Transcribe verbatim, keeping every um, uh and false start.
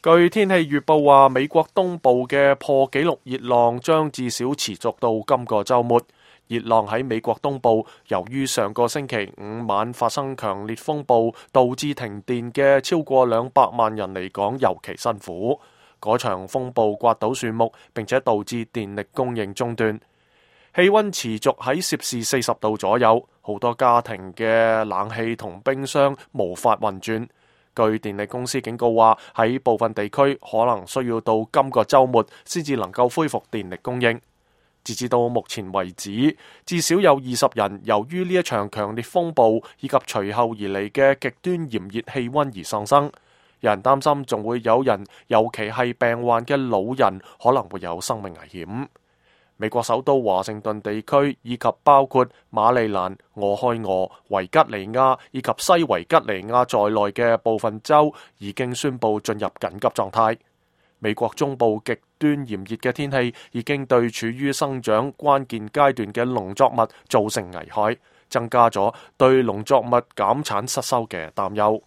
據天氣預報話，美國東部嘅破紀錄熱浪將至少持續到今個週末。熱浪喺美國東部，由於上個星期五晚發生強烈風暴，導致停電嘅超過兩百萬人嚟講尤其辛苦。嗰場風暴刮倒樹木，並且導致電力供應中斷。氣溫持續喺攝氏四十度左右，好多家庭嘅冷氣同冰箱無法運轉。據電力公司警告話，喺部分地區可能需要到今個週末先至能夠恢復電力供應。截至到目前為止，至少有二十人由於呢一場強烈風暴以及隨後而嚟嘅極端炎熱氣溫而喪生。有人擔心仲會有人，尤其係病患嘅老人，可能會有生命危險。美國首都華盛頓地區以及包括馬里蘭、俄亥俄、維吉尼亞以及西維吉尼亞在內嘅部分州已經宣布進入緊急狀態。美國中部極端炎熱嘅天氣已經對處於生長關鍵階段嘅農作物造成危害，增加咗對農作物減產失收嘅擔憂。